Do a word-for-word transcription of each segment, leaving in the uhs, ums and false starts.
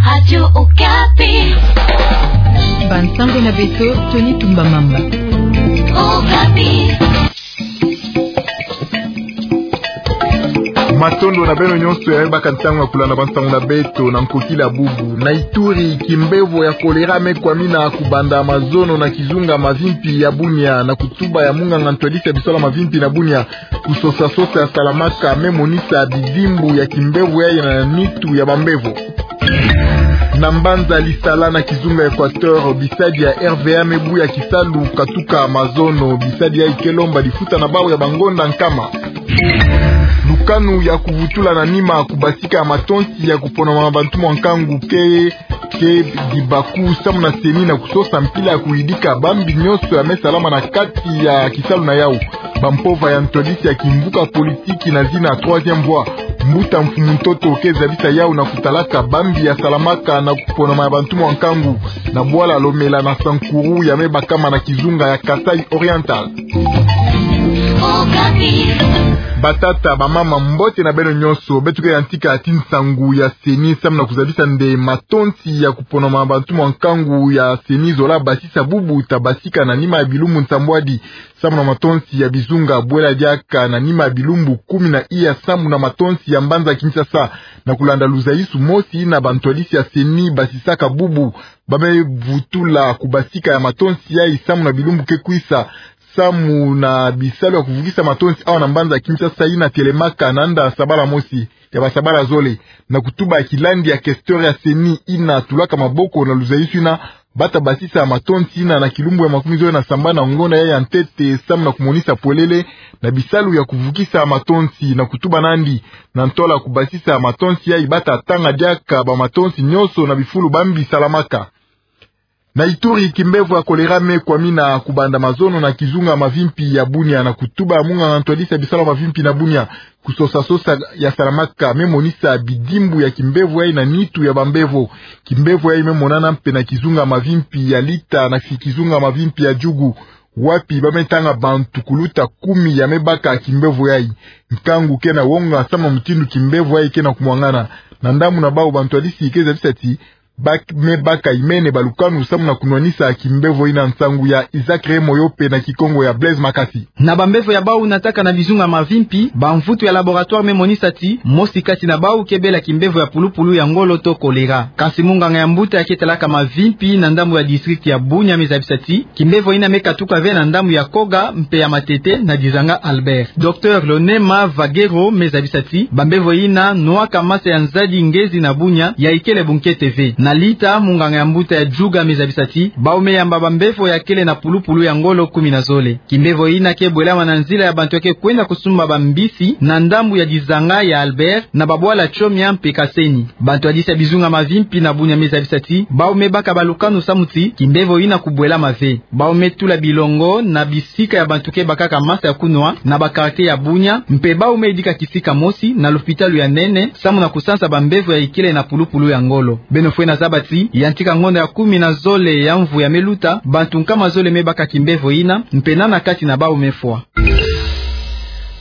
Radio Okapi. Bansango na beto, Tony Tumba Mamba. Okapi. Matondo na beno nyonso ya me baka ntangu ya kulanda bansango na beto na nkokila bubu. Na Ituri, kimbevo ya kolera me kwamina kubanda mazono na kizunga mavimpi ya Bunia, na kutuba ya munganga ntwadisi ya bisalu ya mavimpi na Bunia, kusosa-sosa ya salamaka me monisa bidimbu ya kimbevo yayi na nitu ya bambevo. Na mbanza Lisala na kizunga Equateur, bisadi ya R V A me buya kisalu katuka mazono, bisadi yayi ke lomba lifuta na bau ya bangonda nkama. Lukanu ya kuvutula na nima kubasika ya matonsi ya kuponama na bantu mwa nkangu ke ke dibaku samu na CENI na kusosa mpila ya kuyidika bambi nyonso ya me salama na kati ya kisalu na yau. Bampova ya ntwadisi ya kimvuka politiki na zina Troisième Voie, mbuta Mfumu Ntoto, ke zabisa yau na kutalaka bambi ya salamaka na kuponama ya bantu mwa nkangu na bwala Lomela na Sankuru ya me bakama na kizunga ya Kasaï Oriental. Batata, bamama, mbote na beno nyonso. Beto ke yantika ti nsangu ya CENI samu na kuzabisa nde matonsi ya kuponama bantu mwa nkangu ya CENI zola basisa bubu ta basika na nima ya bilumbu nsambwadi samu na matonsi ya bizunga bwela diaka na nima ya bilumbu kumi na iya samu na matonsi ya mbanza Kinshasa. Na kulanda luzayisu mosi na bantwadisi ya CENI basisaka bubu, ba me vutula kubasika ya matonsi yayi samu na bilumbu ke kwisa, samu na bisalu ya kuvukisa matonsi awa na mbanza Kinshasa yina telemaka na nda sabala mosi ya basabala zole. Na kutuba ya kilandi ya questeur ya CENI yina tulaka maboko na luzayisu yina, ba ta basisa matonsi yina na kilumbu ya makumi zole na sambanu na ngonda yayi ya ntete samu na kumonisa pwelele na bisalu ya kuvukisa matonsi. Na kutuba nandi, na ntola kubasisa matonsi yayi ba ta tanga diaka bamatonsi nyonso na bifulu bambi salamaka. Na Ituri, kimbevo ya kolera me kwamina kubanda mazono na kizunga mavimpi ya Bunia. Na kutuba ya munganga ntwadisi ya bisalu ya mavimpi na Bunia, kusosa-sosa ya salamaka me monisa bidimbu ya kimbevo yayi na nitu ya bambevo. Kimbevo yayi me monana mpe na kizunga mavimpi ya Lita na kizunga mavimpi ya Djugu, wapi ba me tanga bantu kuluta kumi ya me baka kimbevo yayi. Nkangu ke na wonga samu na mutindu kimbevo yayi ke na kumwangana. Na ndambu na bau, bantwadisi ke zabisa ti ba me baka imene balukanu samu na kunwanisa kimbevo yina. Nsangu ya Isaac Remoyo mpe na Kikongo ya Blaise Makasi. Na bambevo ya bau nataka na bizunga mavimpi, bamvutu ya laboratoire me monisa ti mosi kati na bau ke bela kimbevo ya pulupulu ya ngolo to kolera. Kansi munganga ya mbuta ya ke talaka mavimpi na ndambu ya district ya Bunia me zabisa ti kimbevo yina me katuka ve na ndambu ya Koga mpe ya Matete na dizanga Albert. Docteur Lonema Vagero me zabisa ti bambevo yina nwaka masa ya nzadi ngezi na Bunia ya ikele bunkete ve. Na Lita, munganga ya mbuta ya Djugu me zabisa ti bau me yamba bambevo ya kele na pulupulu ya ngolo kumi na zole. Kimbevo yina ke bwelama na nzila ya bantu ya ke kwenda kusumba bambisi na ndambu ya dizanga ya Albert na babwala Tchomia mpe Kaseni. Bantwadisi ya bizunga mavimpi na Bunia me zabisa ti bau me baka balukanu samu ti kimbevo yina kubwelama ve. Bau me tula bilongo na bisika ya bantu ke bakaka masa ya kunwa na ba quartier ya Bunia, mpe bau me yidika kisika mosi na lopitalu ya nene samu na kusansa bambevo ya ikele na pulupulu ya ngolo. Beno fwena zaba ti yantika ngonda ya kumi na zole ya mvu ya me luta, bantu nkama zole me baka kimbevo yina, mpe nana kati na bau me fwa.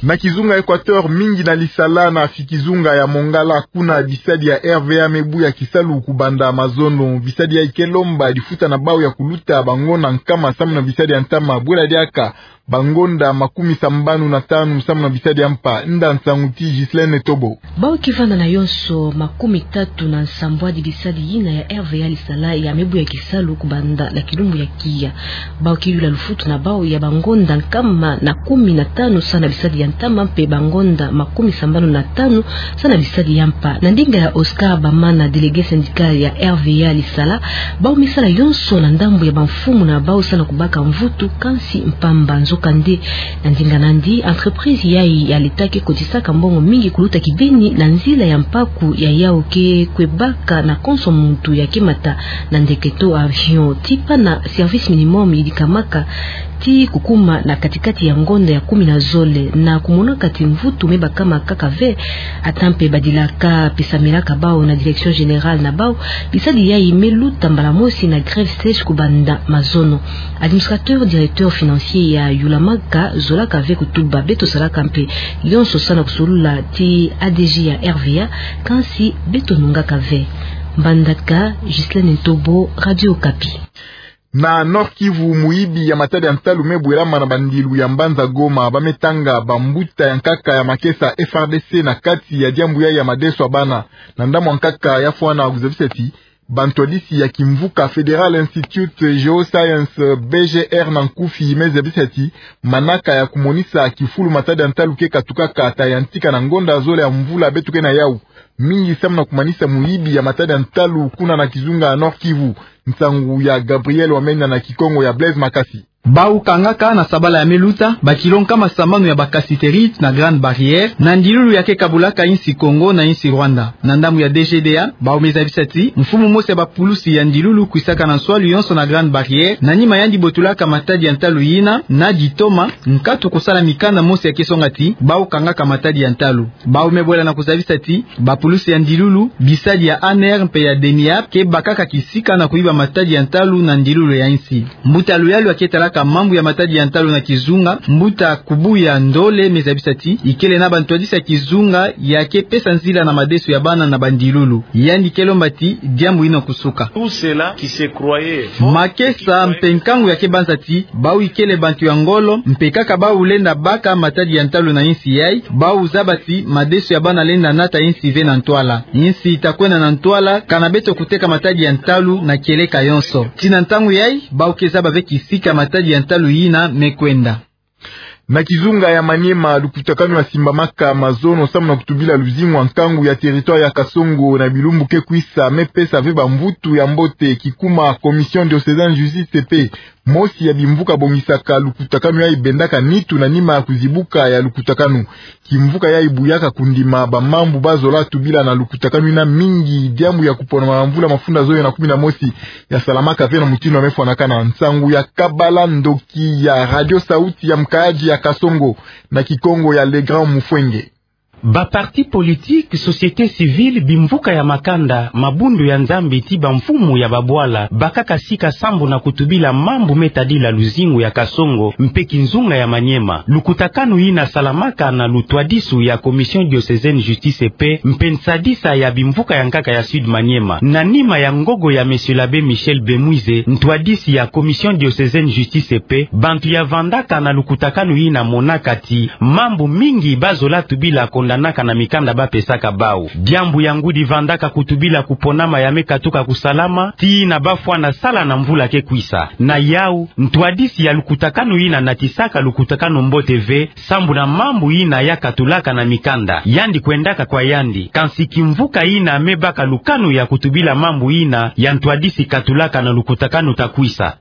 Na kizunga Equateur, mingi na Lisala na fi kizunga ya Mongala, kuna bisadi ya R V A me buya kisalu kubanda mazono. Bisadi yayi ke lomba lifuta na bau ya kuluta bangonda nkama samu na bisadi ya ntama, bwela diaka bangonda makumi sambanu na tanu samu na bisadi ya mpa. Nda nsangu ti Ghislaine Tobo. Bau ke vanda na yonso makumi tatu na nsambwadi bisadi yina ya R V A Lisala ya me buya kisalu kubanda na kilumbu ya kiya. Bau ke yula lufutu na bau ya bangonda nkama na kumi na tanu sa na bisadi ya ntama, mpe bangonda makumi sambanu na tanu sa na bisadi ya mpa. Na ndinga ya Oscar Bamana, délégué syndical ya R V A Lisala, bau me sala yonso na ndambu ya bamfumu na bau sa na kubaka mvutu, kansi mpamba. Nzokande, na ndinga nandi, entreprise yayi ya l'État ke kotisaka mbongo mingi kuluta kibeni na nzila ya mpaku ya yau ke kwe baka na konso muntu ya ke mata na ndeke to avion. Ti pana service minimum yidikamaka ti kukuma na kati-kati ya ngonda ya kumi na zole, na kumonaka ti mvutu me bakama kaka ve, ata mpe badilaka mpe samelaka bau na direction générale na bau, bisadi yayi me luta mbala mosi na grève sèche kubanda mazono. Administrateur directeur financier ya yulamaka zolaka ve kutuba. Beto salaka mpe yonso sa na kusolula ti A D G ya R V A, kansi beto nungaka ve. Mbandaka, Ghislaine Ntobo, Radio Okapi. Na Nord-Kivu, muyibi ya matadi ya ntalu me bwelama na bandilu ya mbanza Goma, ba me tanga bambuta ya nkaka ya makesa F R D C na kati ya diambu ya, ya madeso ya bana. Na ndambu ya nkaka ya fwana kuzabisa ti bantwadisi ya kimvuka Federal Institute Geoscience, B G R na nkufi, me zabisa ti manaka ya kumonisa kifulu matadi ya ntalu ke katukaka ta yantika na ngonda zole ya mvula beto ke na yau, mingi samu na kumanisa muyibi ya matadi ya ntalu kuna na kizunga ya Nord-Kivu. Nsangu ya Gabriel Wamenya na Kikongo ya Blaise Makasi. Bau kangaka na sabala ya me luta bakilo nkama sambanu ya ba cassiterite na Grande Barrière, na ndilulu ya ke kabulaka insi Congo na insi Rwanda. Na ndambu ya D G D A, bau me zabisa ti mfumu mosi ya bapulusi ya ndilulu kwisaka na nswalu yonso na Grande Barrière, na nima yandi botulaka matadi ya ntalu yina na ditoma, nkatu kusala mikanda mosi ya ke songa ti bau kangaka matadi ya ntalu. Bau me bwela na kuzabisa ti bapulusi ya ndilulu, bisadi ya A N R mpe ya DENIAP ke bakaka kisika na kuyiba matadi ya ntalu na ndilulu ya insi. Mbuta luyalu ya ke talaka mambu ya matadi ya ntalu na kizunga, mbuta Kubuya Ndole, me zabisa ti ikele na bantwadisi ya kizunga ya ke pesa nzila na madeso ya bana na bandilulu. Yandi ke lomba ti diambu yina kusuka. Tout cela qui se croyait makesa mpe nkangu ya ke banza ti bau ikele bantu ya ngolo, mpe kaka bau lenda baka matadi ya ntalu na insi yai, bau zaba ti madeso ya bana lenda nata insi ve na ntwala. Insi ta kwenda na ntwala kana beto kuteka matadi ya ntalu na kieleka yonso. Ti na ntangu yai, bau ke zaba ve kisika matadi ya ntalu yina me kwenda. Na kizunga ya Maniema, lukutakanu ya simbamaka mazono samu na kutubila luzingu ya nkangu ya territoire ya Kasongo na bilumbu ke kwisa, me pesa ve bamvutu ya mbote kikuma Commission diocésaine justice mpe mosi ya bimvuka bongisaka lukutakanu yai bendaka nitu na nima ya kuzibuka ya lukutakanu. Kimvuka yai buyaka kundima bamambu bazola tubila na lukutakanu yina, mingi diambu ya kuponama na mvula mafunda zoyo na kumi na mosi ya salamaka ve na mutindu ya me fwanakana. Nsangu ya Kabala Ndoki ya Radio Sauti ya Mkaaji ya Kasongo na Kikongo ya Le Grand Mufwenge. Ba parti politique, société civile, bimvuka ya makanda, mabundu ya Nzambi ti bamfumu ya babwala bakaka sika sambu na kutubila mambu me tadila luzingu ya Kasongo mpe kizunga ya Maniema. Lukutakanu yina salamaka na lutwadisu ya Commission diocésaine justice et paix mpe nsadisa ya bimvuka ya nkaka ya Sud Maniema. Na nima ya ngogo ya Monsieur l'abbé Michel Bemwize, ntwadisi ya Commission diocésaine justice et paix, bantu ya vandaka na lukutakanu yina monaka ti mambu mingi bazola tubila kondanaka na mikanda bapesaka bau. Diambu ya ngudi vandaka kutubila kuponama ya me katuka kusalama, tii na bafwana sala na mvula ke kwisa. Na yau, ntwadisi ya lukutakanu yina natisaka lukutakanu mbote ve, sambu na mambu yina ya katulaka na mikanda. Yandi kwendaka kwa yandi. Kansi kimvuka yina me baka lukanu ya kutubila mambu yina ya ntwadisi katulaka na lukutakanu ta kwisa.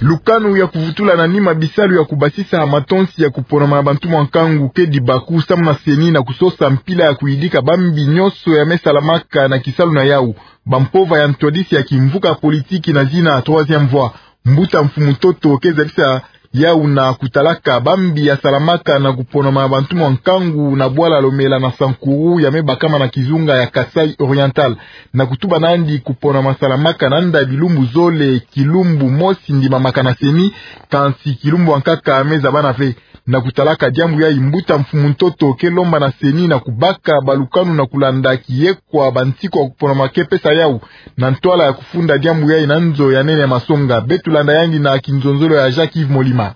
Lukanu ya kuvutula na nima bisalu ya kubasisa matonsi ya kuponama na bantu mwa nkangu ke dibaku samu na CENI na kusosa mpila ya kuyidika bambi nyonso ya me salamaka na kisalu na yau. Bampova ya ntwadisi ya kimvuka politiki na zina Troisième Voie, mbuta Mfumu Toto, ke zabisa yau na kutalaka bambi ya salamaka na kuponama na bantu mwa nkangu na bwala Lomela na Sankuru ya me bakama na kizunga ya Kasaï Oriental. Na kutuba nandi, kuponama salamaka nanda bilumbu zole, kilumbu mosi ndimamaka na CENI, kansi kilumbu ya nkaka me zabana ve. Na kutalaka diambu yai, mbuta Mfumu Ntoto ke lomba na CENI na kubaka balukanu na kulanda kiyekwa bansiku ya kuponama ke pesa yau, na ntwala ya kufunda diambu yai na nzo ya nene ya masonga. Beto landa yandi na kinzonzolo ya Jacques Yves Molima.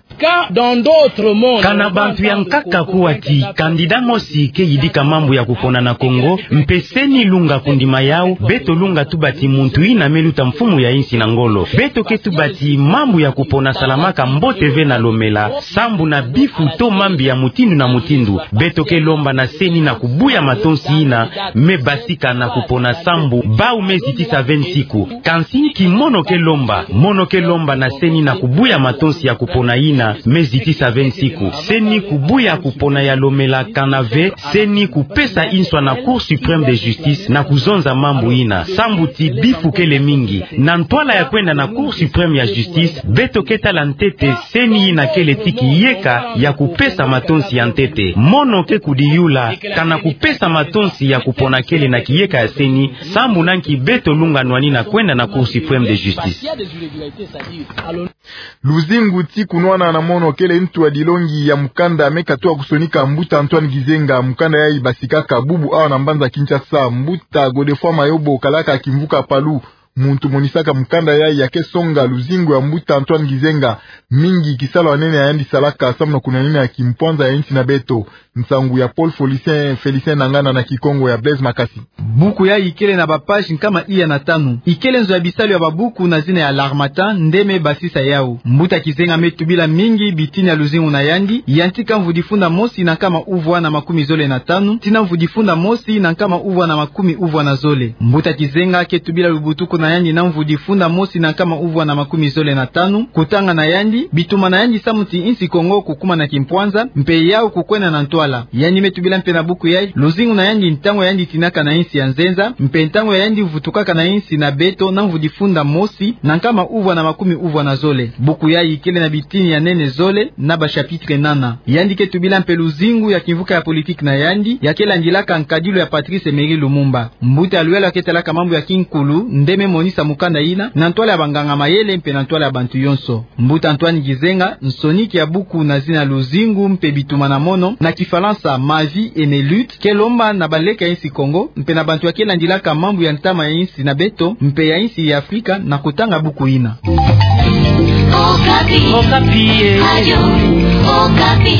Kana bantu ya nkaka kuwa ti candidat mosi ke yidika mambu ya kupona na Congo, mpe CENI lunga kundima yau, beto lunga tuba ti muntu yina me luta mfumu ya insi na ngolo. Beto ke tuba ti mambu ya kupona salamaka mbote ve na Lomela, sambu na bifu to mambi ya mutindu na mutindu. Beto ke lomba na CENI na kubuya matonsi yina me basika na kupona sambu bau me zitisa ve nsiku. Kansi nki mono ke lomba? Mono ke lomba na CENI na kubuya matonsi ya kupona yina me zitisa ve nsiku. CENI kubuya kupona ya Lomela kana ve, CENI kupesa inswa na Cour suprême de justice na kuzonza mambu yina. Sambu ti bifu kele mingi. Na ntwala ya kwenda na Cour suprême ya justice, beto ke tala ntete CENI yina kele ti kiyeka ya kupesa matonsi ya ntete. Mono ke kudiyula, kana kupesa matonsi ya kupona kele na kiyeka ya CENI, sambu na nki beto lunga nwani na kwenda na Cour suprême de justice. Luzingu ti kunwana na mono kele ntu ya dilongi ya mukanda me katuka kusonika mbuta Antoine Gizenga. Mukanda yayi basikaka bubu awa na mbanza Kinshasa. Mbuta Godefroid Mayobo, kalaka kimvuka Palu, muntu monisaka mukanda yayi, ake songa luzingu ya mbuta Antoine Gizenga mingi, kisalu ya nene yandi salaka samu na kunwanina kimpwanza ya insi na beto. Nsangu ya Paul Felicien, Felicien Nangana na Kikongo ya Blaise Makasi. Buku yayi ikele na ba page nkama iya na tanu. Ikele nzo ya bisalu ya babuku na zina ya L'Harmattan nde me basisa yawu. Mbuta Gizenga me tubila mingi bitini ya luzingu na yandi, yantika mvu difunda mosi na nkama uvwa na makumi zole na tanu tii na mvu difunda mosi na nkama uvwa na makumi uvwa na zole. Mbuta Gizenga ke tubila lubutuku na yandi na mvu difunda mosi na nkama uvwa na makumi zole na tanu, kutanga na yandi, bitumba na yandi samu ti insi Kongo kukuma na kimpwanza, mpe yawu kukwenda na ntwala. Yandi me tubila mpe na buku yayi luzingu na yandi ntangu yandi tinaka na insi ya nzenza, mpe ntangu ya yandi vutukaka na insi na beto na mvu difunda mosi na nkama uvwa na makumi uvwa na zole. Buku yayi ikele na bitini ya nene zole na ba chapitre nana. Yandi ke tubila mpe luzingu ya kimvuka ya politique na yandi, ya ke landilaka nkadilu ya Patrice Emery Lumumba. Mbuta ya luyalu ya ke talaka mambu ya kinkulu nde me monisa mukanda yina na ntwala ya banganga mayele mpe na ntwala ya bantu yonso. Mbuta Antoine Gizenga, nsoniki ya buku na zina luzingu mpe bitumba na mono, na Kifalansa Ma vie et mes luttes, ke lomba na baleke ya insi Kongo mpe na bantu ya ke landilaka mambu ya ntama ya insi na beto mpe ya insi ya Afrika na kutanga buku yina. Okapi. Okapi, eh. Radio Okapi.